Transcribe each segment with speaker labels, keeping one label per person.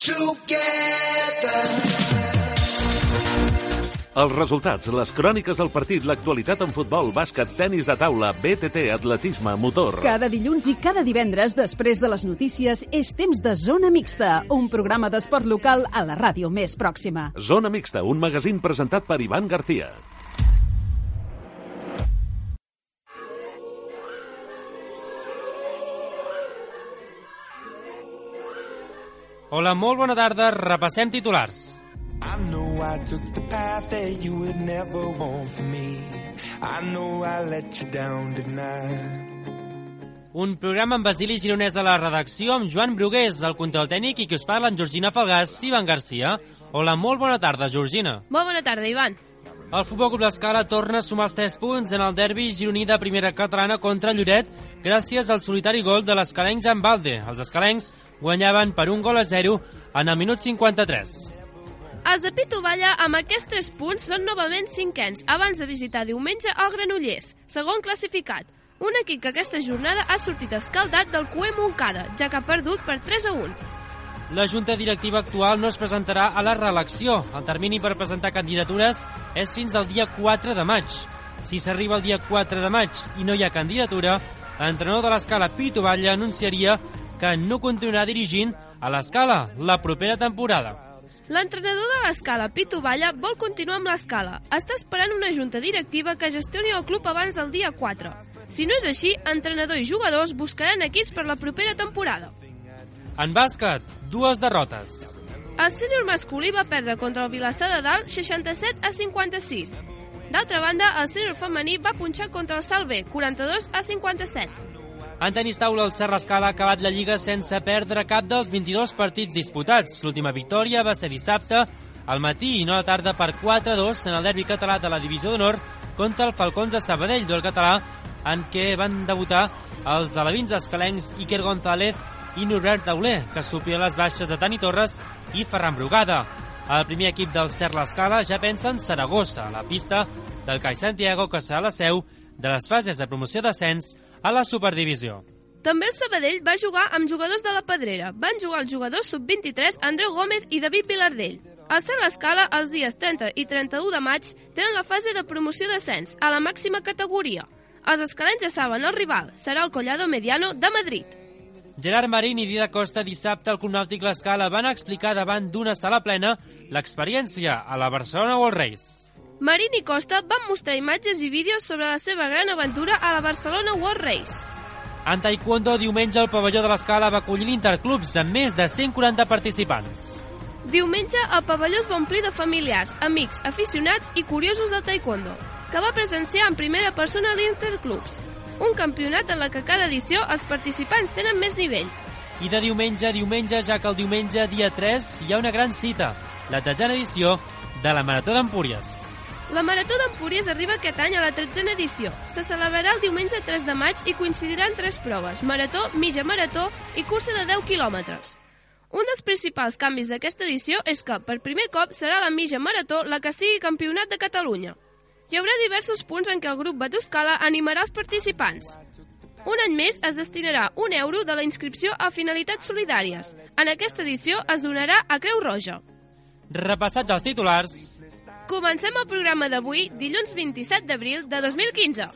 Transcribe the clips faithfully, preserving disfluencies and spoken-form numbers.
Speaker 1: Els resultats, les cròniques del partit, l'actualitat en futbol, bàsquet, tenis de taula, B T T, atletisme, motor.
Speaker 2: Cada dilluns i cada divendres, després de les notícies, és temps de Zona Mixta, un programa d'esport local a la ràdio més pròxima.
Speaker 1: Zona Mixta, un magazín presentat per Ivan García.
Speaker 3: Hola, molt bona tarda. Repassem titulars.
Speaker 4: I know I took the path that you would never want for me. I know I let you down tonight.
Speaker 3: Un programa amb Basili Gironès a la redacció, amb Joan Brugués, el control tècnic, i qui us parla, en Georgina Falgàs i Ivan García. Hola, molt bona tarda, Georgina.
Speaker 5: Molt bona tarda, Ivan.
Speaker 3: El Futbol Club L'Escala torna a sumar els tres punts en el derbi gironí de primera catalana contra Lloret gràcies al solitari gol de l'escalenc Jan Balde. Els escalencs guanyaven per un gol a zero en el minut cinquanta-tres.
Speaker 5: Els de Pitu Valla, amb aquests tres punts, són novament cinquens, abans de visitar diumenge el Granollers, segon classificat. Un equip que aquesta jornada ha sortit escaldat del Cué Montcada, ja que ha perdut per tres a un.
Speaker 3: La Junta Directiva actual no es presentarà a la reelecció. El termini per presentar candidatures és fins al dia quatre de maig. Si s'arriba el dia quatre de maig i no hi ha candidatura, l'entrenador de l'Escala, Pitu Valla, anunciaria que no continuarà dirigint a l'Escala la propera temporada.
Speaker 5: L'entrenador de l'Escala, Pitu Valla, vol continuar amb l'Escala. Està esperant una junta directiva que gestioni el club abans del dia quatre. Si no és així, entrenador i jugadors buscaran equips per la propera temporada.
Speaker 3: En bàsquet, dues derrotes.
Speaker 5: El sènior masculí va perdre contra el Vilassar de Dalt seixanta-set a cinquanta-sis. D'altra banda, el sènior femení va punxar contra el Salt B, quaranta-dos a cinquanta-set.
Speaker 3: En tenis taula, el Serra Escala ha acabat la Lliga sense perdre cap dels vint-i-dos partits disputats. L'última victòria va ser dissabte al matí i no a la tarda per quatre a dos en el derbi català de la Divisió d'Honor contra el Falcons de Sabadell, duel català en què van debutar els alevins escalencs Iker González i Norbert Tauler, que suplien les baixes de Tani Torres i Ferran Brugada. El primer equip del Serra Escala ja pensa en Saragossa, a la pista del CAI Santiago, que serà la seu de les fases de promoció d'ascens a la Superdivisió.
Speaker 5: També el Sabadell va jugar amb jugadors de la Pedrera. Van jugar els jugadors sub vint-i-tres Andreu Gómez i David Vilardell. Al Serra Escala, els dies trenta i trenta-u de maig, tenen la fase de promoció d'ascens a la màxima categoria. Els escalents ja saben el rival, serà el Collado Mediano de Madrid.
Speaker 3: Gerard Marín i Dida Costa dissabte al Club Nàutic L'Escala van explicar davant d'una sala plena l'experiència a la Barcelona World Race.
Speaker 5: Marín i Costa van mostrar imatges i vídeos sobre la seva gran aventura a la Barcelona World Race.
Speaker 3: En taekwondo, diumenge el pavelló de l'Escala va acollir l'Interclubs amb més de cent quaranta participants.
Speaker 5: Diumenge el pavelló es va omplir de familiars, amics, aficionats i curiosos del taekwondo, que va presenciar en primera persona l'Interclubs, un campionat en la que cada edició els participants tenen més nivell.
Speaker 3: I de diumenge a diumenge, ja que el diumenge dia tres hi ha una gran cita, la tretzena edició de la Marató d'Empúries.
Speaker 5: La Marató d'Empúries arriba aquest any a la tretzena edició. Se celebrarà el diumenge tres de maig i coincidiran tres proves, marató, mitja marató i cursa de deu quilòmetres. Un dels principals canvis d'aquesta edició és que, per primer cop, serà la mitja marató la que sigui campionat de Catalunya. Hi haurà diversos punts en què el grup Batuscala animarà els participants. Un any més es destinarà un euro de la inscripció a finalitats solidàries. En aquesta edició es donarà a Creu Roja.
Speaker 3: Repassats els titulars,
Speaker 5: comencem el programa d'avui, dilluns vint-i-set d'abril de dos mil quinze.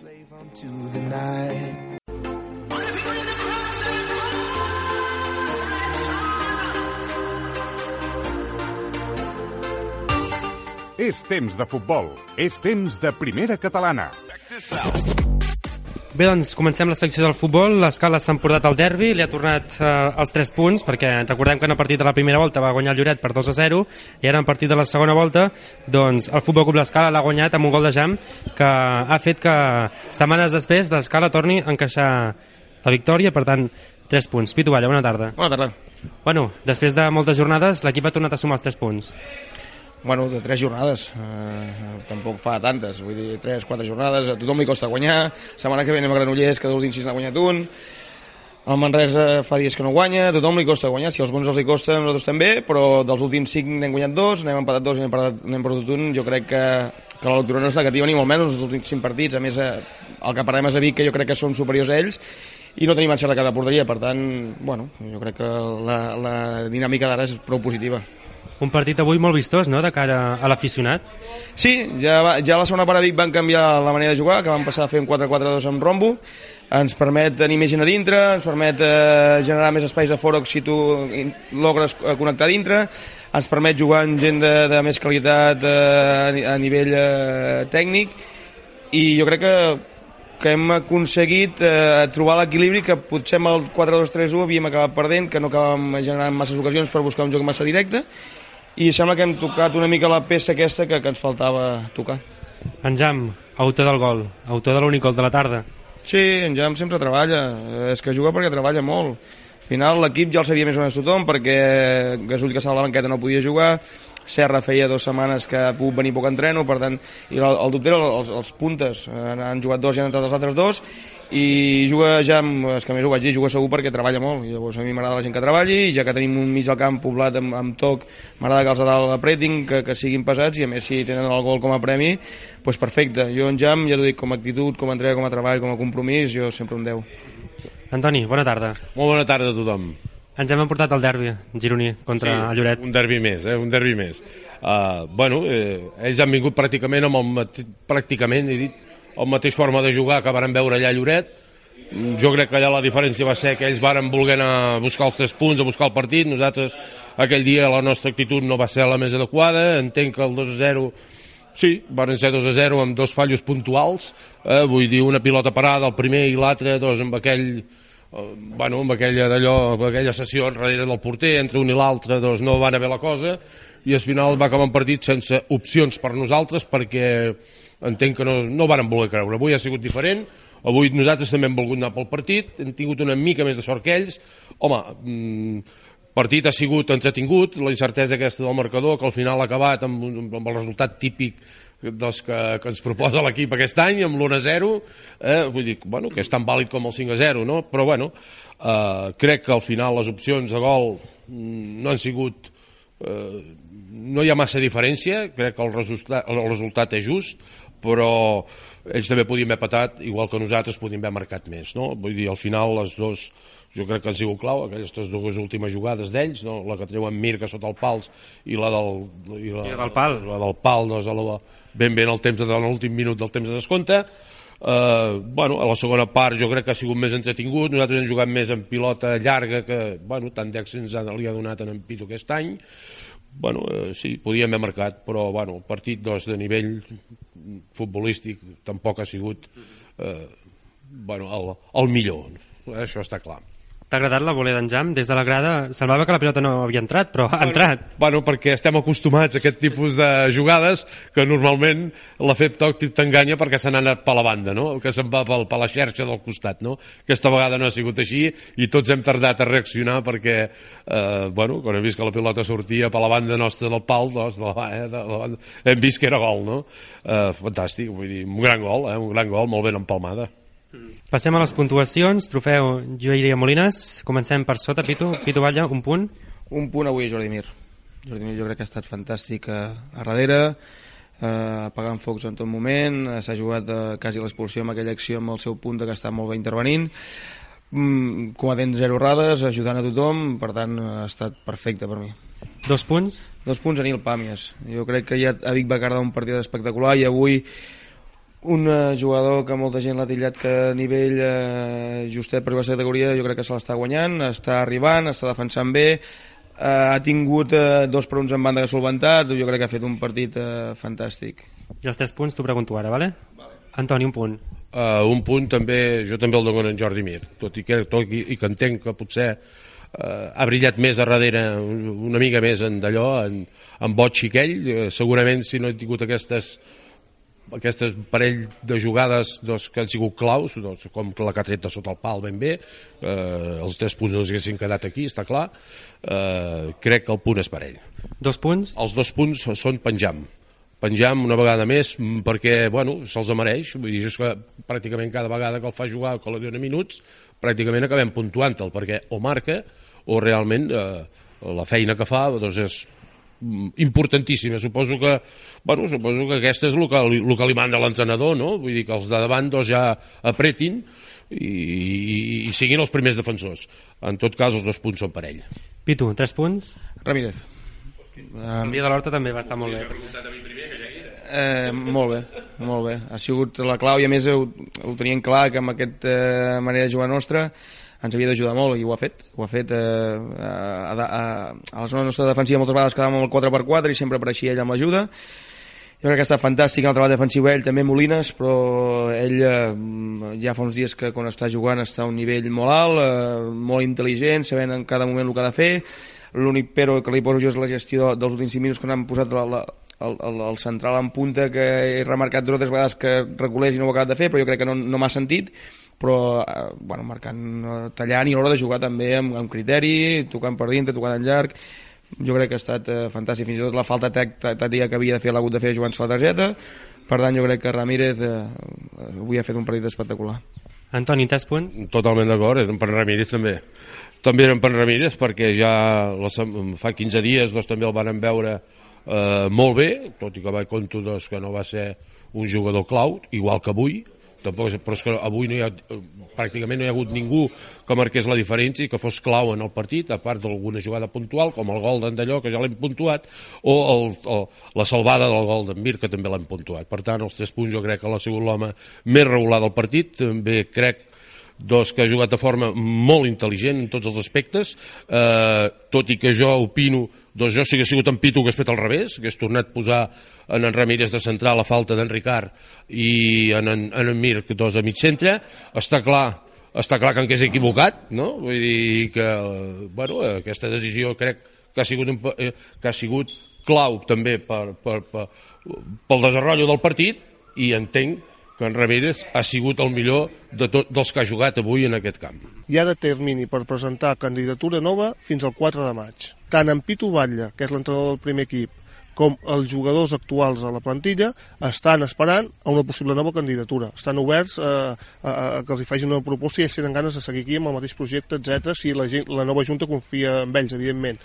Speaker 6: És temps de futbol, és temps de primera catalana.
Speaker 3: Bé, doncs comencem la secció del futbol. L'Escala s'ha emportat el derbi, li ha tornat eh, els tres punts, perquè recordem que en el partit de la primera volta va guanyar el Lloret per dos a zero, i ara en el partit de la segona volta, doncs el Futbol Club L'Escala l'ha guanyat amb un gol de Jam, que ha fet que setmanes després l'Escala torni a encaixar la victòria, per tant, tres punts. Pitu Valla, bona tarda.
Speaker 7: Bona tarda.
Speaker 3: Bueno, després de moltes jornades, l'equip ha tornat a sumar els tres punts.
Speaker 7: Bueno, de tres jornades, eh, tampoc fa tantes, vull dir, tres, quatre jornades, a tothom li costa guanyar, setmana que ve anem a Granollers, que dels últims sis n'ha guanyat un, el Manresa fa dies que no guanya, a tothom li costa guanyar, si als bons els li costa, nosaltres també, però dels últims cinc n'hem guanyat dos, n'hem empatat dos i n'hem perdut un, jo crec que, que la lectura no és negativa ni molt menys, els últims cinc partits, a més, eh, el que parlem és a Vic, que jo crec que són superiors a ells, i no tenim encert de cara a la porteria, per tant, bueno, jo crec que la, la dinàmica d'ara és prou positiva.
Speaker 3: Un partit avui molt vistós, no?, de cara a l'aficionat.
Speaker 7: Sí, ja, va, ja a la segona part a Vic van canviar la manera de jugar, que van passar a fer un quatre quatre dos amb rombo, ens permet tenir més gent a dintre, ens permet eh, generar més espais a fora si tu logres connectar a dintre, ens permet jugar amb gent de, de més qualitat eh, a nivell eh, tècnic, i jo crec que que hem aconseguit eh, trobar l'equilibri que potser amb el quatre dos tres u havíem acabat perdent, que no acabàvem generant masses ocasions per buscar un joc massa directe, i sembla que hem tocat una mica la peça aquesta que, que ens faltava tocar.
Speaker 3: En Jam, autor del gol, autor de l'únic gol de la tarda.
Speaker 7: Sí, en Jam sempre treballa, és que juga perquè treballa molt. Al final l'equip ja el sabia més o menys tothom, perquè Gasull, que estava a la banqueta, no podia jugar, Serra feia dues setmanes que ha pogut venir poc entreno, per tant, i el, el dubte era els, els puntes, han jugat dos i han entrat els altres dos, i juga ja, és que a més ho vaig dir, juga segur perquè treballa molt, i llavors a mi m'agrada la gent que treballi, i ja que tenim un mig del camp poblat amb, amb toc, m'agrada que els de dalt apretin, que, que siguin pesats, i a més si tenen el gol com a premi, doncs perfecte. Jo en Jam, ja t'ho dic, com a actitud, com a entrega, com a treball, com a compromís, jo sempre un deu.
Speaker 3: Antoni, bona tarda.
Speaker 8: Molt bona tarda a tothom.
Speaker 3: Ens hem emportat el derbi gironí contra
Speaker 8: sí,
Speaker 3: el Lloret.
Speaker 8: Un derbi més, eh? un derbi més. Uh, bueno, eh, ells han vingut pràcticament amb el mate... pràcticament, he dit, el mateix forma de jugar que varen veure allà a Lloret. Jo crec que allà la diferència va ser que ells varen voler anar a buscar els tres punts, a buscar el partit. Nosaltres, aquell dia, la nostra actitud no va ser la més adequada. Entenc que el dos a zero, sí, van ser dos a zero amb dos fallos puntuals. Eh? Vull dir, una pilota parada, el primer i l'altre, doncs, amb aquell... bueno, amb aquella d'allò, amb aquella sessió darrere del porter, entre un i l'altre doncs no va anar bé la cosa, i al final va acabar un partit sense opcions per nosaltres, perquè entenc que no, no varen voler creure. Avui ha sigut diferent, avui nosaltres també hem volgut anar pel partit, hem tingut una mica més de sort que ells. Home, mmm, partit ha sigut entretingut, la incertesa aquesta del marcador, que al final ha acabat amb, amb el resultat típic dels que, que ens proposa l'equip aquest any, amb l'u a zero, eh, vull dir, bueno, que és tan vàlid com el cinc a zero, no? Però bueno, eh, crec que al final les opcions de gol no han sigut, eh, no hi ha massa diferència, crec que el resultat, el resultat és just, però ells també podien haver patat, igual que nosaltres podien haver marcat més, no? Vull dir, al final les dos, jo crec que han sigut clau, aquestes dues últimes jugades d'ells, no? La que treuen Mirka sota el pals i la del, i la,
Speaker 3: I la del pal,
Speaker 8: la del pal doncs, a la, ben bé en el temps de l'últim minut del temps de descompte. Uh, bueno, a la segona part jo crec que ha sigut més entretingut, nosaltres hem jugat més en pilota llarga, que bueno, tant d'èxits li ha donat en en Pitu aquest any. Bueno, uh, sí, podíem haver marcat, però bueno, el partit doncs, de nivell futbolístic tampoc ha sigut uh, bueno, el, el millor, això està clar.
Speaker 3: T'ha agradat la volea d'en Jam? Des de la grada semblava que la pilota no havia entrat, però ha
Speaker 8: bueno,
Speaker 3: entrat.
Speaker 8: Bueno, perquè estem acostumats a aquest tipus de jugades que normalment l'efecte òptic t'enganya perquè se n'ha anat per la banda, no? Que se'n va per la xerxa del costat, no? Aquesta vegada no ha sigut així i tots hem tardat a reaccionar perquè, eh, bueno, quan hem vist que la pilota sortia per la banda nostra del pal, doncs, de la, eh, de la banda, hem vist que era gol, no? Eh, fantàstic, vull dir, un gran gol, eh? Un gran gol, molt ben empalmada.
Speaker 3: Passem a les puntuacions. Trofeu Lluïria Molines. Comencem per sota. Pitu, Pitu Batlle, un punt.
Speaker 7: Un punt avui a Jordi Mir. Jordi Mir jo crec que ha estat fantàstic a, a darrere, eh, apagant focs en tot moment, eh, s'ha jugat eh, quasi l'expulsió amb aquella acció amb el seu punt que està molt bé intervenint, mm, cometent zero errades, ajudant a tothom, per tant ha estat perfecte per mi.
Speaker 3: Dos punts?
Speaker 7: Dos punts a Nil Pàmies. Jo crec que ja a Vic va quedar un partit espectacular i avui un jugador que molta gent l'ha titllat que a nivell eh, justet per la categoria jo crec que se l'està guanyant, està arribant, està defensant bé, eh, ha tingut eh, dos per uns en banda que ha solventat, jo crec que ha fet un partit eh, fantàstic.
Speaker 3: I els tres punts t'ho pregunto ara, vale? Vale. Antoni, un punt.
Speaker 8: Uh, un punt també, jo també el dono en Jordi Mir, tot i que, tot i, i que entenc que potser uh, ha brillat més a darrere, una mica més en d'allò, en, en boig xiquell, uh, segurament si no he tingut aquestes aquestes parell de jugades doncs, que han sigut claus, doncs, com la que ha tret de sota el pal ben bé, eh, els tres punts no els haguessin quedat aquí, està clar, eh, crec que el punt és per ell.
Speaker 3: Dos punts?
Speaker 8: Els dos punts són penjam. Penjam una vegada més perquè, bueno, se'ls mereix, vull dir, és que pràcticament cada vegada que el fa jugar o que li dona minuts, pràcticament acabem puntuant-el, perquè o marca o realment eh, la feina que fa doncs és importantíssima. Suposo que, bueno, suposo que aquesta és el que, el que li manda l'entrenador, no? Vull dir que els de davant doncs, ja apretin i, i, i siguin els primers defensors. En tot cas, els dos punts són per ell.
Speaker 3: Pitu, tres punts?
Speaker 7: Ramírez.
Speaker 3: El dia de l'Horta també va estar molt bé.
Speaker 7: Eh, molt bé, molt bé. Ha sigut la clau i a més ho, ho tenien clar que amb aquesta eh, manera de jugar nostra ens havia d'ajudar molt i ho ha fet. Ho ha fet eh, a, a, a la zona nostra defensiva moltes vegades quedàvem amb el quatre per quatre i sempre apareixia ell amb l'ajuda. Jo crec que ha estat fantàstic en el treball defensiu ell, també Molines, però ell eh, ja fa uns dies que quan està jugant està a un nivell molt alt, eh, molt intel·ligent, sabent en cada moment el que ha de fer. L'únic però que li poso jo és la gestió dels últims cinc minuts que n'han posat la, la, el, el, el central en punta, que he remarcat dues o tres vegades que reculés i no ho ha acabat de fer, però jo crec que no, no m'ha sentit, però eh, bueno, marcant, tallant i a l'hora de jugar també amb, amb criteri, tocant per dintre, tocant en llarg. Jo crec que ha estat eh, fantàstic, fins i tot la falta tàctica que havia de fer l'ha hagut de fer jugant-se la targeta. Per tant, jo crec que Ramírez eh, avui ha fet un partit espectacular.
Speaker 3: Antoni, tres punts?
Speaker 8: Totalment d'acord, és per Ramírez també. També eren per Ramírez perquè ja la, fa quinze dies doncs, també el van veure eh, molt bé, tot i que vaig compto doncs, que no va ser un jugador clau, igual que avui, tampoc, però és que avui no hi ha, pràcticament no hi ha hagut ningú que marqués la diferència i que fos clau en el partit, a part d'alguna jugada puntual, com el gol d'Andalló, que ja l'hem puntuat, o, el, o la salvada del gol d'en Mir, que també l'hem puntuat. Per tant, els tres punts jo crec que l'ha sigut l'home més regular del partit, també crec doncs, que ha jugat de forma molt intel·ligent en tots els aspectes, eh, tot i que jo opino, doncs jo si hagués sigut en Pitu hagués fet al revés, hagués tornat a posar en en Ramírez de central a falta d'en Ricard i en en, en, en Mir doncs, a mig centre. Està clar, està clar que en què s'ha equivocat, no? Vull dir que bueno, aquesta decisió crec que ha sigut, un, que ha sigut clau també per, per, per, pel desenvolupament del partit, i entenc que en Ramírez ha sigut el millor de tot, dels que ha jugat avui en aquest camp.
Speaker 9: Hi ha de termini per presentar candidatura nova fins al quatre de maig. Tant en Pitu Batlle, que és l'entrenador del primer equip, com els jugadors actuals a la plantilla estan esperant a una possible nova candidatura. Estan oberts a, a, a que els hi facin una proposta i ells tenen ganes de seguir aquí amb el mateix projecte, etcètera, si la, gent, la nova Junta confia en ells, evidentment.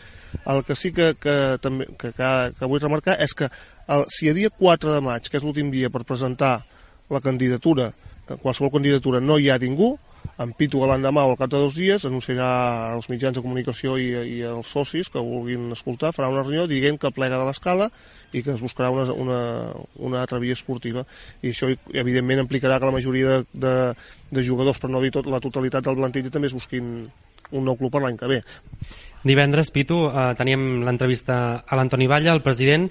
Speaker 9: El que sí que, que, també, que, que, que vull remarcar és que el, si a dia quatre de maig, que és l'últim dia per presentar la candidatura, qualsevol candidatura no hi ha ningú, en Pitu l'endemà o al cap de dos dies anunciarà als mitjans de comunicació i, i als socis que vulguin escoltar, farà una reunió dient que plega de l'escala i que es buscarà una, una, una altra via esportiva, i això evidentment implicarà que la majoria de, de, de jugadors, per no dir tot, la totalitat del plantilla, també es busquin un nou club per l'any que ve.
Speaker 3: Divendres, Pitu, eh, teníem l'entrevista a l'Antoni Batlle, el president,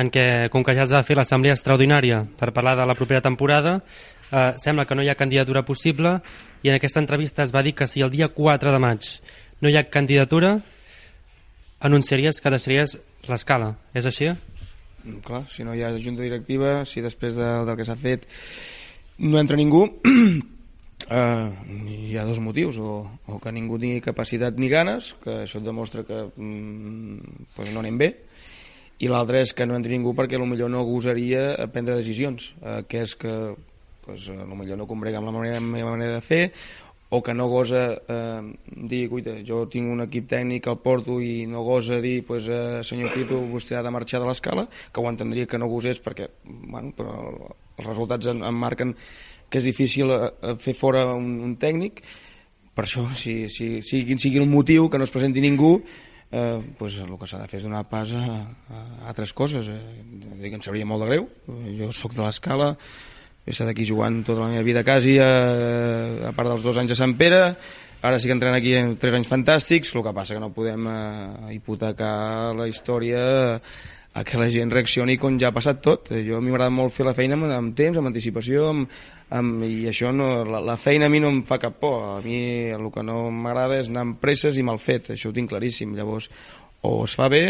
Speaker 3: en què, com que ja es va fer l'assemblea extraordinària per parlar de la propera temporada, eh, sembla que no hi ha candidatura possible, i en aquesta entrevista es va dir que si el dia quatre de maig no hi ha candidatura, anunciaries que deixaries l'escala. És així?
Speaker 7: Clar, si no hi ha junta directiva, si després de, del que s'ha fet no entra ningú, eh, hi ha dos motius, o, o que ningú tingui capacitat ni ganes, que això et demostra que mm, pues no anem bé, i l'altre és que no entri ningú perquè potser no gosaria prendre decisions, eh, que és que pues, potser no combrega amb la manera, la meva manera de fer, o que no gosa eh, dir, cuita, jo tinc un equip tècnic al porto i no gosa dir, pues, eh, senyor Pitu, vostè ha de marxar de l'escala, que ho entendria que no gosés perquè bueno, però els resultats em, em marquen que és difícil eh, fer fora un, un tècnic. Per això, si, si, si, quin sigui el motiu, que no es presenti ningú, Eh, pues el que s'ha de fer és donar pas a, a altres coses. Eh, dic, em sabria molt de greu, jo sóc de l'Escala, he estat aquí jugant tota la meva vida quasi, a, a part dels dos anys a Sant Pere, ara sí que entrem aquí en tres anys fantàstics, el que passa que no podem eh, hipotecar la història a que la gent reaccioni com ja ha passat tot. Jo a mi m'agrada molt fer la feina amb, amb temps, amb anticipació, amb, amb, i això no, la, la feina a mi no em fa cap por. A mi el que no m'agrada és anar amb presses i mal fet, això ho tinc claríssim. Llavors, o es fa bé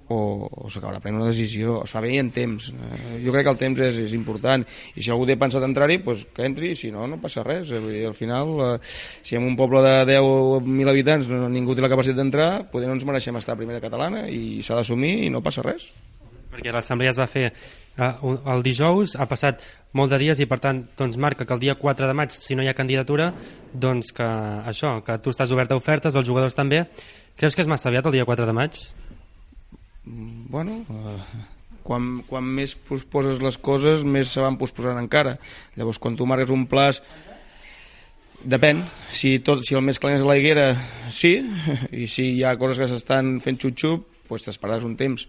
Speaker 7: o, o s'acabarà prenent una decisió, es fa bé i en temps. Eh, jo crec que el temps és, és important, i si algú té pensat entrar-hi, pues, que entri, si no, no passa res. Eh, vull dir, al final, eh, si en un poble de deu mil habitants no, ningú té la capacitat d'entrar, potser no ens mereixem estar a primera catalana i s'ha d'assumir i no passa res.
Speaker 3: Perquè l'assemblea es va fer eh, el dijous, ha passat molt de dies i per tant doncs marca que el dia quatre de maig, si no hi ha candidatura, doncs que això, que tu estàs obert a ofertes, els jugadors també. Creus que és massa aviat el dia quatre de maig?
Speaker 7: bueno, eh, quan, quan més posposes les coses més se van posposant encara. Llavors quan tu marques un plaç, depèn, si, tot, si el més calent és la higuera, sí, i si hi ha coses que s'estan fent xup-xup, doncs t'esperaràs un temps.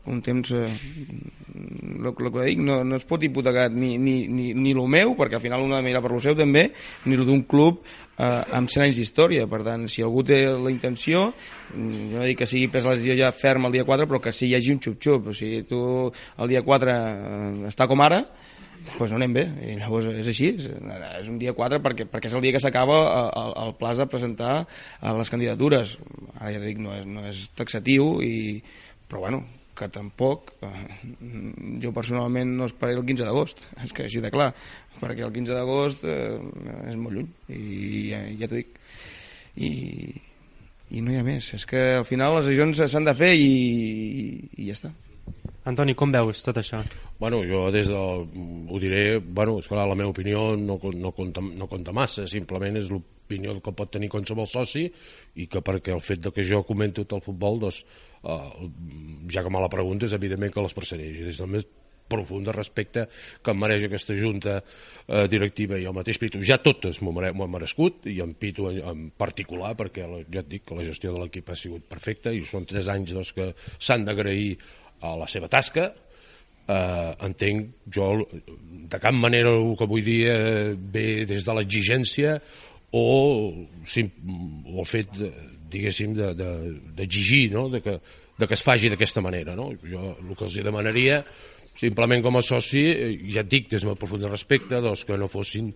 Speaker 7: Un temps, eh, el, el que dic, no, no es pot hipotecar ni, ni, ni, ni el meu, perquè al final un ha de mirar per lo seu també, ni el d'un club eh, amb cent anys d'història. Per tant, si algú té la intenció, jo no dic que sigui pres la decisió ja ferma el dia quatre, però que sí hi hagi un xup-xup. O sigui, tu el dia quatre eh, està com ara, doncs no anem bé, i llavors és així, és, és un dia quatre perquè, perquè és el dia que s'acaba el, el plaç de presentar les candidatures. Ara ja dic, no és, no és taxatiu, i, però bueno, que tampoc, eh, jo personalment no esperaré el quinze d'agost, és que així de clar, perquè el quinze d'agost eh, és molt lluny, i ja, ja t'ho dic, i, i no hi ha més, és que al final les decisions s'han de fer i, i ja està.
Speaker 3: Antoni, com veus tot això?
Speaker 8: Bueno, jo des de... ho diré, bueno, és clar, la meva opinió no, no, compta, no compta massa, simplement és l'opinió que pot tenir qualsevol soci, i que perquè el fet de que jo comento tot el futbol, doncs, eh, ja que me la pregunta, és evidentment que l'expressaré. Des del més profund respecte que em mereix aquesta junta eh, directiva i el mateix Pitu. Ja totes m'ho han merescut, i en Pitu en particular, perquè ja et dic que la gestió de l'equip ha sigut perfecta, i són tres anys doncs, que s'han d'agrair a la seva tasca. Eh, entenc jo de cap manera el que vull dir eh, ve des de l'exigència o, sim, o el fet de, diguéssim d'exigir de, de, no? de, que, de que es faci d'aquesta manera, no? Jo el que els demanaria simplement com a soci, ja et dic des del profund respecte, doncs, que no fossin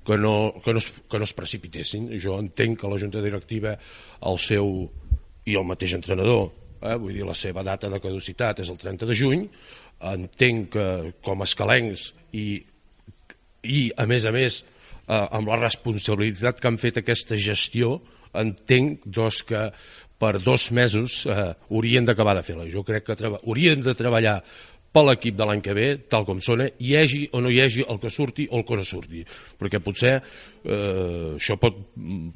Speaker 8: que no, que, no es, que no es precipitessin. Jo entenc que la junta directiva, el seu i el mateix entrenador, Eh, vull dir, la seva data de caducitat és el trenta de juny, entenc que com a escalencs i, i a més a més eh, amb la responsabilitat que han fet aquesta gestió, entenc doncs, que per dos mesos eh, haurien d'acabar de fer-la. Jo crec que haurien de treballar per l'equip de l'any que ve, tal com sona, hi hagi o no hi hagi el que surti o el que no surti, perquè potser eh, això pot,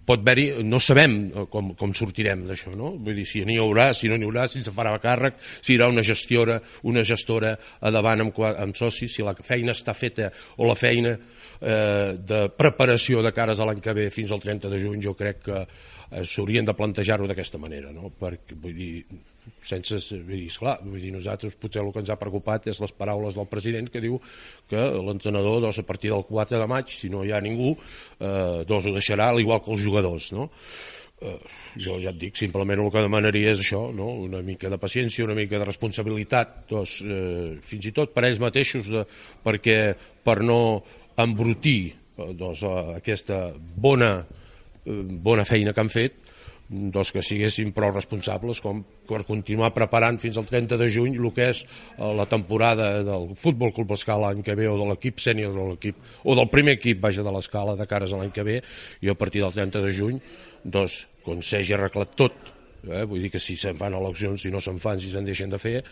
Speaker 8: pot haver-hi, no sabem com, com sortirem d'això, no? Vull dir, si n'hi haurà, si no n'hi haurà, si se farà càrrec, si hi haurà una gestora, una gestora a davant amb, amb socis, si la feina està feta o la feina eh, de preparació de cares a l'any que ve fins al trenta de juny, jo crec que eh, s'haurien de plantejar-ho d'aquesta manera, no? Perquè, vull dir, sense, vull dir, esclar, vull dir, nosaltres potser el que ens ha preocupat és les paraules del president que diu que l'entrenador doncs, a partir del quatre de maig, si no hi ha ningú, eh, doncs ho deixarà al igual que els jugadors, no? Eh, jo ja et dic, simplement el que demanaria és això, no? Una mica de paciència, una mica de responsabilitat, doncs, eh, fins i tot per ells mateixos, de, perquè per no embrutir eh, doncs, aquesta bona, eh, bona feina que han fet, doncs que siguessin prou responsables com per continuar preparant fins al trenta de juny el que és la temporada del Futbol Club Escala l'any que ve, o de l'equip sènior de l'equip, o del primer equip vaja de l'Escala de cares a l'any que ve, i a partir del trenta de juny doncs quan s'hagi arreglat tot, eh, vull dir que si se'n fan eleccions, si no se'n fan, si se'n deixen de fer,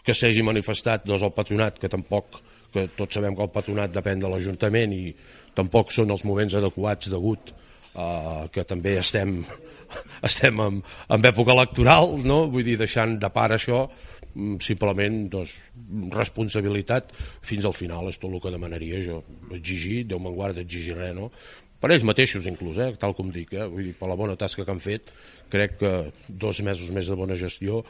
Speaker 8: que s'hagi manifestat doncs el patronat, que tampoc, que tots sabem que el patronat depèn de l'Ajuntament i tampoc són els moments adequats degut Uh, que també estem estem en, en època electoral, no? Vull dir, deixant de part això, simplement doncs, responsabilitat fins al final és tot el que demanaria jo, exigir, Déu me'n guarda d'exigir res, no? Per ells mateixos inclús, eh? Tal com dic, eh? Vull dir, per la bona tasca que han fet, crec que dos mesos més de bona gestió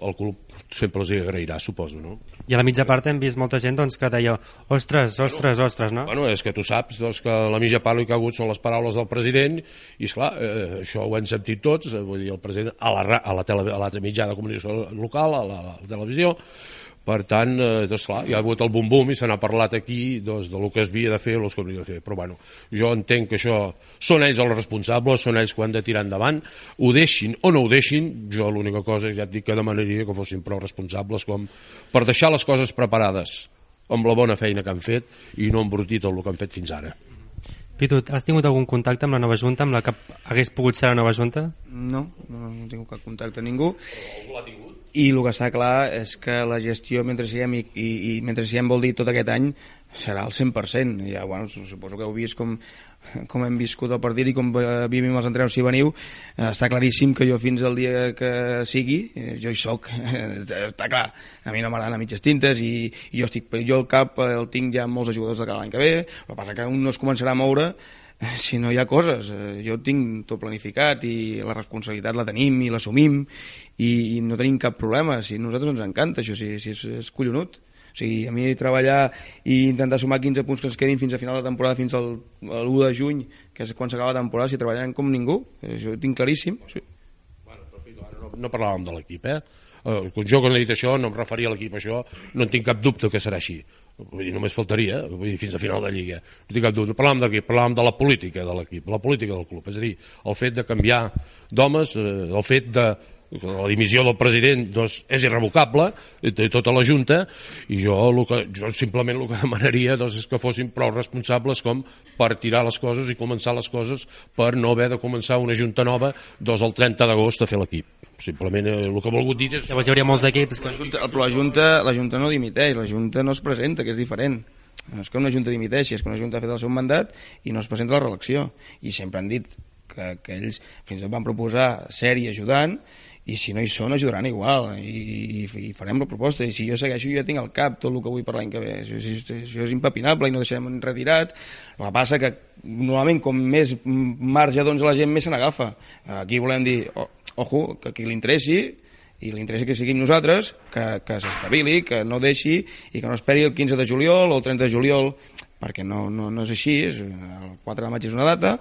Speaker 8: el club sempre els hi agrairà, suposo, no?
Speaker 3: I a la mitja part hem vist molta gent doncs, que deia ostres, ostres, ostres, no?
Speaker 8: Bueno, és que tu saps doncs, que la mitja part que ha hagut són les paraules del president i, esclar, eh, això ho hem sentit tots, eh, vull dir, el president a la, a la, tele, a la mitjà de comunicació local, a la, a la televisió. Per tant, eh, doncs, clar, hi ha hagut el bum-bum i se n'ha parlat aquí doncs, de lo que es havia de fer o el que havia de fer. Però bueno, jo entenc que això són ells els responsables, són ells que ho han de tirar endavant, ho deixin o no ho deixin, jo l'única cosa ja et dic que demanaria que fossin prou responsables com per deixar les coses preparades amb la bona feina que han fet i no embrutir tot el que han fet fins ara.
Speaker 3: Pitu, has tingut algun contacte amb la nova junta, amb la que hagués pogut ser la nova junta?
Speaker 7: No, no, no tinc cap contacte amb ningú.
Speaker 8: Algú l'ha tingut?
Speaker 7: I el que està clar és que la gestió mentre siguem i, i, i mentre siguem vol dir tot aquest any serà el cent per cent. Ja, bueno, suposo que heu vist com, com hem viscut el partit i com vivim els entrenos si veniu. Està claríssim que jo fins al dia que sigui, jo hi soc. Està clar, a mi no m'agraden a mitges tintes i, i jo, estic, jo el cap el tinc ja amb molts jugadors de cada l'any que ve. El que passa que un no es començarà a moure si no hi ha coses. Jo tinc tot planificat i la responsabilitat la tenim i l'assumim i, i no tenim cap problema. Si a nosaltres ens encanta això, si, si és, és collonut. O sigui, a mi treballar i intentar sumar quinze punts que ens quedin fins a final de temporada, fins al, al u de juny, que és quan s'acaba la temporada, si treballarem com ningú, això ho tinc claríssim. Sí.
Speaker 8: Bueno, però, no, no parlàvem de l'equip, eh? Jo quan he dit això no em referia a l'equip, això no en tinc cap dubte que serà així. Vull dir, només faltaria, vull dir, fins a final de Lliga. No tinc cap dubte. Parlàvem d'equip, parlàvem de la política de l'equip, la política del club. És a dir, el fet de canviar d'homes, el fet de la dimissió del president doncs, és irrevocable, de tota la Junta, i jo, el que, jo simplement el que demanaria doncs, és que fossin prou responsables com per tirar les coses i començar les coses per no haver de començar una Junta nova doncs, el trenta d'agost a fer l'equip. Simplement eh, el que he volgut dir és...
Speaker 3: Llavors hi hauria molts equips que...
Speaker 7: La Junta, però la Junta, la Junta no dimiteix, la Junta no es presenta, que és diferent. No és que una Junta dimiteixi, és que una Junta ha fet el seu mandat i no es presenta a la reelecció. I sempre han dit que, que ells fins i tot van proposar ser-hi ajudant, i si no hi són ajudaran igual i, i, i farem la proposta, i si jo segueixo jo ja tinc al cap tot el que vull per l'any que ve, això, això, això és impepinable i no deixarem retirat. El que passa que normalment com més marge doncs la gent més se n'agafa. Aquí volem dir, oh, ojo, que qui li interessi i li interessa que siguin nosaltres, que, que s'estabili, que no deixi i que no esperi el quinze de juliol o el trenta de juliol, perquè no, no, no és així, és, el quatre de maig és una data.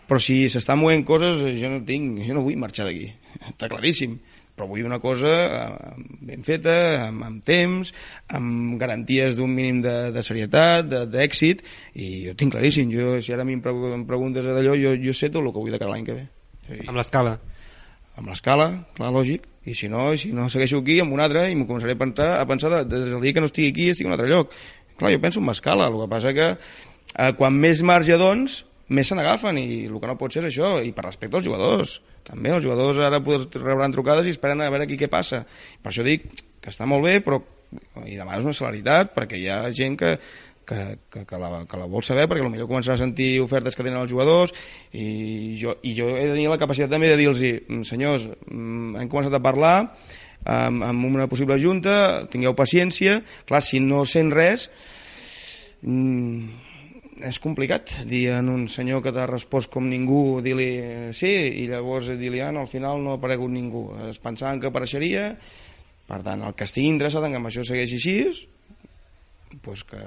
Speaker 7: Però si s'estan movent coses, jo no tinc, jo no vull marxar d'aquí, està claríssim. Però vull una cosa ben feta, amb, amb temps, amb garanties d'un mínim de, de serietat, d'èxit, i jo tinc claríssim. Jo, si ara a mi em preguntes d'allò, jo, jo sé tot el que vull de cada l'any que ve.
Speaker 3: Sí. Amb l'escala?
Speaker 7: Amb l'escala, clar, lògic. I si no, si no segueixo aquí, amb un altre, i m'ho començaré a pensar, a pensar de, des del dia que no estigui aquí, estic en un altre lloc. Clar, jo penso en l'escala, el que passa que eh, quan més marge doncs, més se n'agafen, i el que no pot ser és això, i per respecte als jugadors també, els jugadors ara rebran trucades i esperen a veure aquí què passa. Per això dic que està molt bé, però i demanes una celeritat, perquè hi ha gent que, que, que, que, la, que la vol saber, perquè potser començarà a sentir ofertes que tenen els jugadors, i jo, i jo he de tenir la capacitat també de dir-los, senyors, hem començat a parlar amb, amb una possible junta, tingueu paciència. Clar, si no sent res, mmm, és complicat dir a un senyor que t'ha respost com ningú, dir-li sí, i llavors dir-li ah, no, al final no ha aparegut ningú, es pensaven que apareixeria. Per tant, el que estigui interessat en que això segueixi així, doncs que,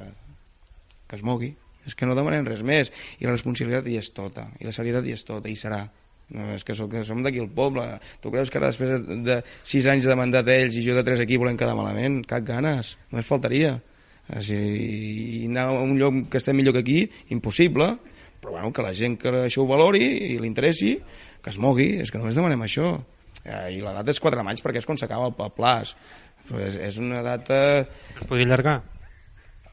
Speaker 7: que es mogui. És que no demanem res més, i la responsabilitat hi és tota, i la serietat hi és tota, i serà. No, és que som, que som d'aquí el poble. Tu creus que ara després de, de sis anys de mandat ells i jo de tres aquí volem quedar malament? Cap ganes, només faltaria. Si, i anar a un lloc que estem millor que aquí, impossible, però bueno, que la gent que això ho valori i li interessi, que es mogui, és que només demanem això. I la data és quatre de maig perquè és quan s'acaba el, el plaç, però és, és una data...
Speaker 3: Es podria allargar?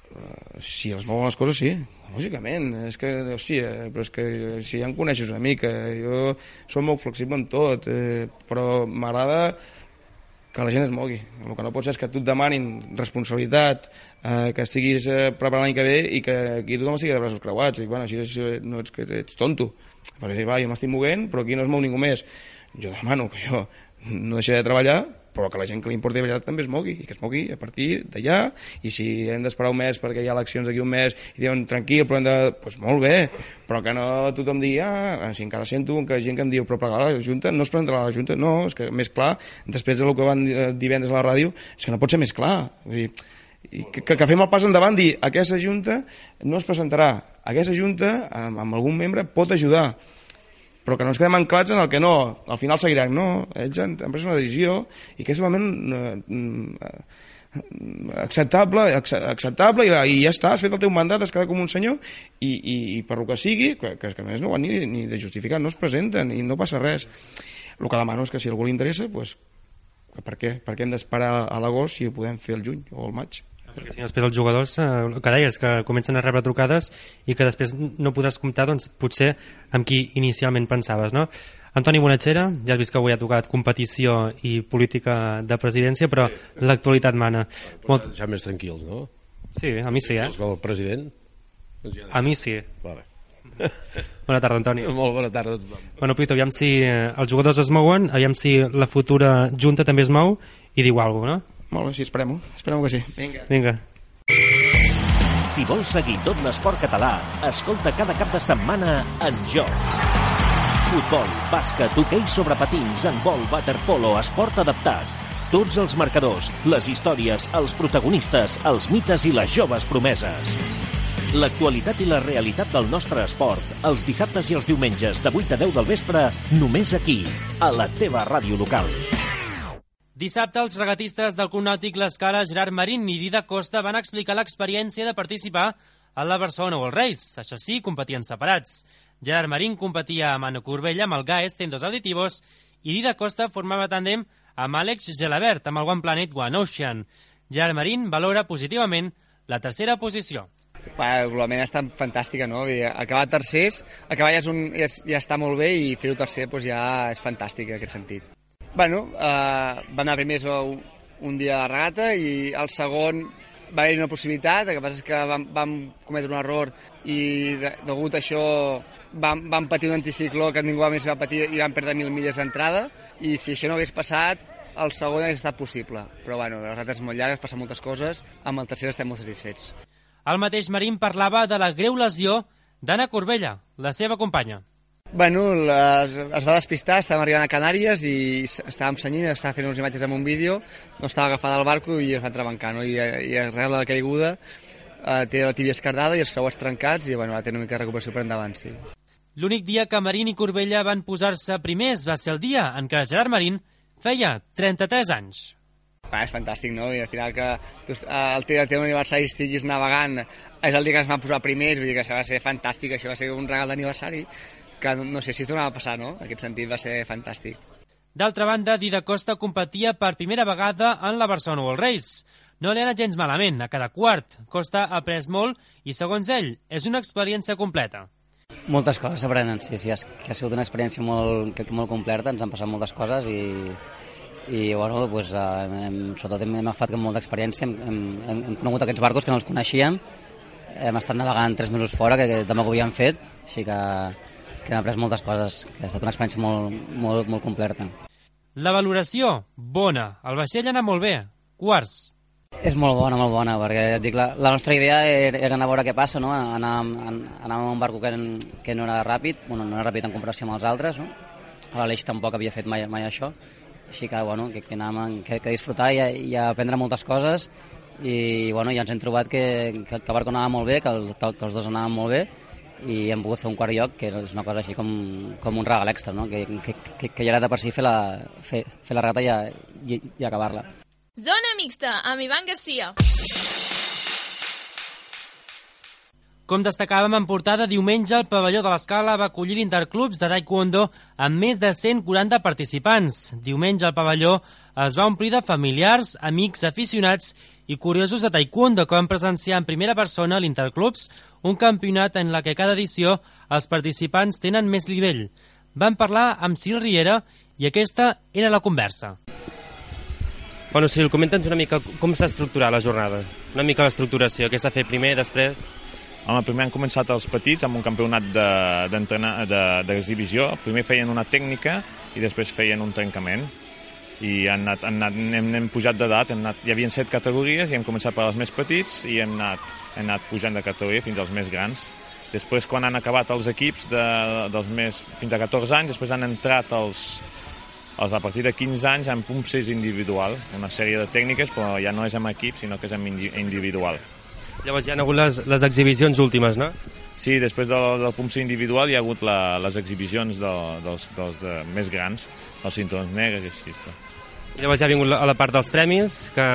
Speaker 7: Uh, si els mouen les coses, sí, lògicament. És que, hòstia, però és que si ja em coneixes una mica, jo soc molt flexible en tot, eh, però m'agrada que la gent es mogui. El que no pot ser és que tu et demanin responsabilitat, eh, que estiguis eh, preparant l'any que ve i que aquí tothom estigui de braços creuats. Dic, bueno, així és, no ets, que ets tonto. Per dir, va, jo m'estic movent, però aquí no es mou ningú més. Jo demano que jo no deixaré de treballar, però que la gent que li importi de veritat també es mogui, i que es mogui a partir d'allà, i si hem d'esperar un mes perquè hi ha eleccions d'aquí un mes i diuen tranquil, però hem de... Doncs pues molt bé, però que no tothom digui, ah, si encara sento que hi ha gent que em diu, però plegar a la Junta, no es presentarà a la Junta, no, és que més clar, després del que van divendres a la ràdio, és que no pot ser més clar, vull dir, i que, que fem el pas endavant, dir, aquesta Junta no es presentarà, aquesta Junta, amb, amb algun membre, pot ajudar, però que no ens quedem anclats en el que no, al final seguiran, no, ells han, han pres una decisió i que és solament eh, acceptable, acceptable i, i ja està, has fet el teu mandat, has quedat com un senyor i, i, i per el que sigui, que, que, que a més no ho han ni, ni de justificar, no es presenten i no passa res. El que demano és que si a algú li interessa, pues, per què? Per què hem d'esperar a l'agost si ho podem fer el juny o el maig?
Speaker 3: Perquè si després els jugadors, eh, el que deies, que comencen a rebre trucades i que després no podràs comptar, doncs, potser amb qui inicialment pensaves, no? Antoni Bonatxera, ja has vist que avui ha tocat competició i política de presidència, però l'actualitat mana.
Speaker 8: Molt... Ja més tranquils, no?
Speaker 10: Sí, a mi sí, eh?
Speaker 8: El president?
Speaker 10: A mi sí.
Speaker 8: Vale.
Speaker 10: Bona tarda, Antoni.
Speaker 8: Molt bona tarda a tothom.
Speaker 10: Bueno, Pito, aviam si eh, els jugadors es mouen, aviam si la futura junta també es mou i diu alguna cosa, no?
Speaker 7: Molt bé, sí, esperem-ho. Esperem que sí. Vinga.
Speaker 10: Vinga.
Speaker 1: Si vols seguir tot l'esport català, escolta cada cap de setmana En Joc. Futbol, bàsquet, hoquei sobre patins, handbol, waterpolo, esport adaptat. Tots els marcadors, les històries, els protagonistes, els mites i les joves promeses. L'actualitat i la realitat del nostre esport, els dissabtes i els diumenges de vuit a deu del vespre, només aquí, a la teva ràdio local.
Speaker 3: Dissabte, els regatistes del Club Nàutic L'Escala, Gerard Marín i Dida Costa, van explicar l'experiència de participar a la Barcelona World Race. Això sí, competien separats. Gerard Marín competia amb Anna Corbella, amb el Gaes Tendos Aditivos, i Dida Costa formava tàndem amb Àlex Gelabert, amb el One Planet One Ocean. Gerard Marín valora positivament la tercera posició.
Speaker 11: Globalment està fantàstica, no? Acabar tercers, acabar ja, és un, ja, ja està molt bé i fer-ho tercer doncs ja és fantàstic en aquest sentit. Bueno, eh, va anar primers un, un dia a la regata i el segon va haver-hi una possibilitat, el que passa és que vam, vam cometre un error i de, degut a això vam, vam patir un anticicló que ningú més va patir i vam perdre mil milles d'entrada i si això no hagués passat el segon hagués estat possible, però bueno, les regates molt llargues, passen moltes coses, amb el tercer estem molt satisfets.
Speaker 3: El mateix Marín parlava de la greu lesió d'Anna Corbella, la seva companya.
Speaker 11: Bueno, les, es va despistar, estàvem arribant a Canàries i estàvem senyint, estava fent unes imatges amb un vídeo, no estava agafada al barco i es va entrebancar, no? I, i arrel de la caiguda eh, té la tíbia esquerdada i els creuers trencats i bueno, va tenir una mica de recuperació per endavant, sí. L'únic dia que Marín i Corbella van posar-se primers va ser el dia en què Gerard Marín feia trenta-tres anys. Ah, és fantàstic, no? I al final que tu, el teu, el teu aniversari estiguis navegant és el dia que ens vam posar primers, vull dir que això va ser fantàstic, això va ser un regal d'aniversari que no sé si es tornava a passar, no? En aquest sentit va ser fantàstic. D'altra banda, Dida Costa competia per primera vegada en la Barcelona World Race. No li ha anat gens malament, a cada quart. Costa ha après molt i, segons ell, és una experiència completa.
Speaker 12: Moltes coses s'aprenen, sí, sí, que ha sigut una experiència molt, molt completa, ens han passat moltes coses i... i bueno, pues, hem, sobretot hem, hem agafat molta experiència, hem, hem, hem conegut aquests barcos que no els coneixíem, hem estat navegant tres mesos fora, que, que tampoc ho havíem fet, així que, que hem après moltes coses, que ha estat una experiència molt, molt, molt completa.
Speaker 3: La valoració, bona, el vaixell ha anat molt bé, quarts.
Speaker 12: És molt bona, molt bona, perquè et dic, la, la nostra idea era, era anar a veure què passa, no? anar, anar amb un barco que, que no era ràpid, bueno, no era ràpid en comparació amb els altres, no? L'Aleix tampoc havia fet mai, mai això, així que, bueno, que, que anàvem que, que disfrutar i, i aprendre moltes coses i bueno, ja ens hem trobat que, que, que el barco anava molt bé, que, el, que els dos anaven molt bé i hem pogut fer un quart lloc que és una cosa així com, com un regal extra, no? que, que, que, que ja era de per si fer la, fer, fer la regata i, i, i acabar-la.
Speaker 13: Zona mixta, amb Ivan Garcia.
Speaker 3: Com destacàvem en portada, diumenge el pavelló de l'Escala va acollir interclubs de taekwondo amb més de cent quaranta participants. Diumenge el pavelló es va omplir de familiars, amics, aficionats i curiosos de taekwondo que van presenciar en primera persona a l'Interclubs, un campionat en la que cada edició els participants tenen més nivell. Van parlar amb Cyril Riera i aquesta era la conversa.
Speaker 10: Bueno, Cyril, comenta'ns una mica com s'ha estructurat la jornada, una mica l'estructuració, què s'ha fet primer, després...
Speaker 14: Home, primer han començat els petits amb un campionat d'exhibició. De, primer feien una tècnica i després feien un trencament. I han anat, han anat, hem, hem pujat d'edat, hi havia set categories i hem començat per els més petits i hem anat, hem anat pujant de categoria fins als més grans. Després, quan han acabat els equips de, dels més, fins a catorze anys, després han entrat els, els a partir de quinze anys en pumpsers individual, una sèrie de tècniques, però ja no és amb equip, sinó que és amb individual.
Speaker 10: Llavors hi ha hagut les, les exhibicions últimes, no?
Speaker 14: Sí, després del, del pumpser individual hi ha hagut la, les exhibicions de, dels, dels de, més grans, els cinturons negres i així.
Speaker 10: I llavors ja ha vingut a la part dels premis, que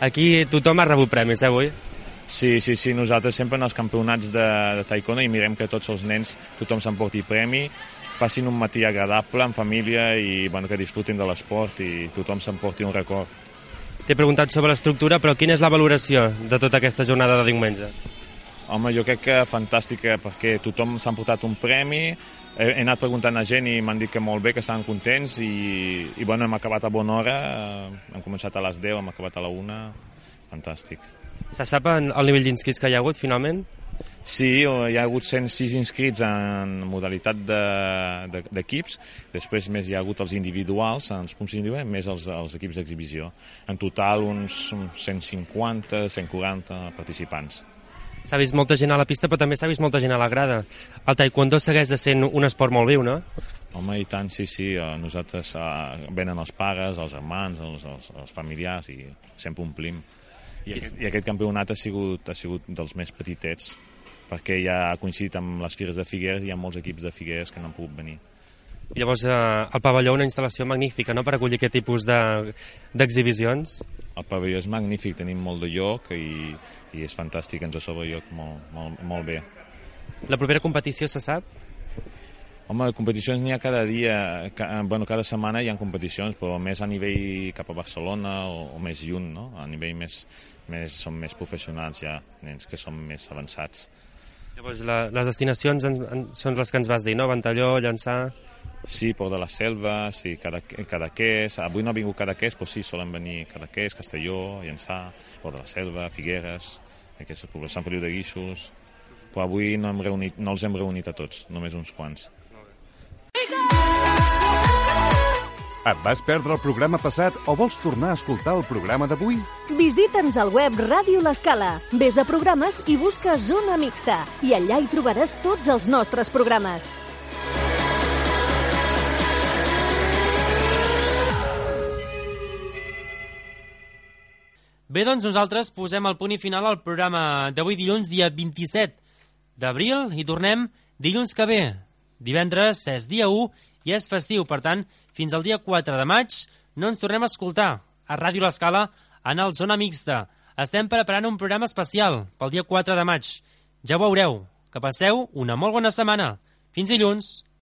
Speaker 10: aquí tothom ha rebut premis, eh, avui?
Speaker 14: Sí, sí, sí, nosaltres sempre en els campionats de, de taekwondo i mirem que tots els nens, tothom s'emporti premi, passin un matí agradable, en família, i bueno, que disfrutin de l'esport i tothom s'emporti un record.
Speaker 10: T'he preguntat sobre l'estructura, però quina és la valoració de tota aquesta jornada de diumenge?
Speaker 14: Home, jo crec que fantàstica, perquè tothom s'ha emportat un premi, he, he anat preguntant a gent i m'han dit que molt bé, que estaven contents, i, i bueno, hem acabat a bona hora, hem començat a les deu, hem acabat a la una, fantàstic.
Speaker 10: Se sap el nivell d'inscrits que hi ha hagut, finalment?
Speaker 14: Sí, hi ha hagut cent sis inscrits en modalitat d'equips, després més hi ha hagut els individuals, en els punts individuals, més els, els equips d'exhibició. En total uns cent cinquanta, cent quaranta participants.
Speaker 10: S'ha vist molta gent a la pista, però també s'ha vist molta gent a la grada. El taekwondo segueix sent un esport molt viu, no?
Speaker 14: Home, i tant, sí, sí. Nosaltres uh, venen els pares, els germans, els, els, els familiars, i sempre omplim. I aquest, i aquest campionat ha sigut, ha sigut dels més petitets, perquè ja ha coincidit amb les Fires de Figueres i hi ha molts equips de Figueres que no han pogut venir.
Speaker 10: I llavors, eh, el pavelló, una instal·lació magnífica, no?, per acollir aquest tipus d'exhibicions. De,
Speaker 14: el pavelló és magnífic, tenim molt de lloc i, i és fantàstic, ens sobra lloc molt, molt, molt bé.
Speaker 10: La propera competició se sap?
Speaker 14: Home, competicions n'hi ha cada dia, ca, bueno, cada setmana hi ha competicions, però més a nivell cap a Barcelona o, o més lluny, no? A nivell més, més, són més professionals ja, nens que són més avançats.
Speaker 10: Llavors, la, les destinacions en, en, són les que ens vas dir, no? Ventalló, Llançà...
Speaker 14: Sí, Port de la Selva, sí, Cadaqués. Avui no ha vingut Cadaqués, però sí, solen venir Cadaqués, Castelló, Llançà, Port de la Selva, Figueres, aquests pobles, Sant Feliu de Guíxols. Però avui no, hem reunit, no els hem reunit a tots, només uns quants.
Speaker 6: Et vas perdre el programa passat o vols tornar a escoltar el programa d'avui?
Speaker 15: Visita'ns al web Ràdio L'Escala. Ves a programes i busca Zona Mixta. I allà hi trobaràs tots els nostres programes.
Speaker 3: Bé, doncs nosaltres posem el punt i final al programa d'avui dilluns, dia vint-i-set d'abril, i tornem dilluns que ve. Divendres és dia u i és festiu, per tant, fins al dia quatre de maig no ens tornem a escoltar a Ràdio L'Escala en el Zona Mixta. Estem preparant un programa especial pel dia quatre de maig. Ja ho veureu. Que passeu una molt bona setmana. Fins dilluns.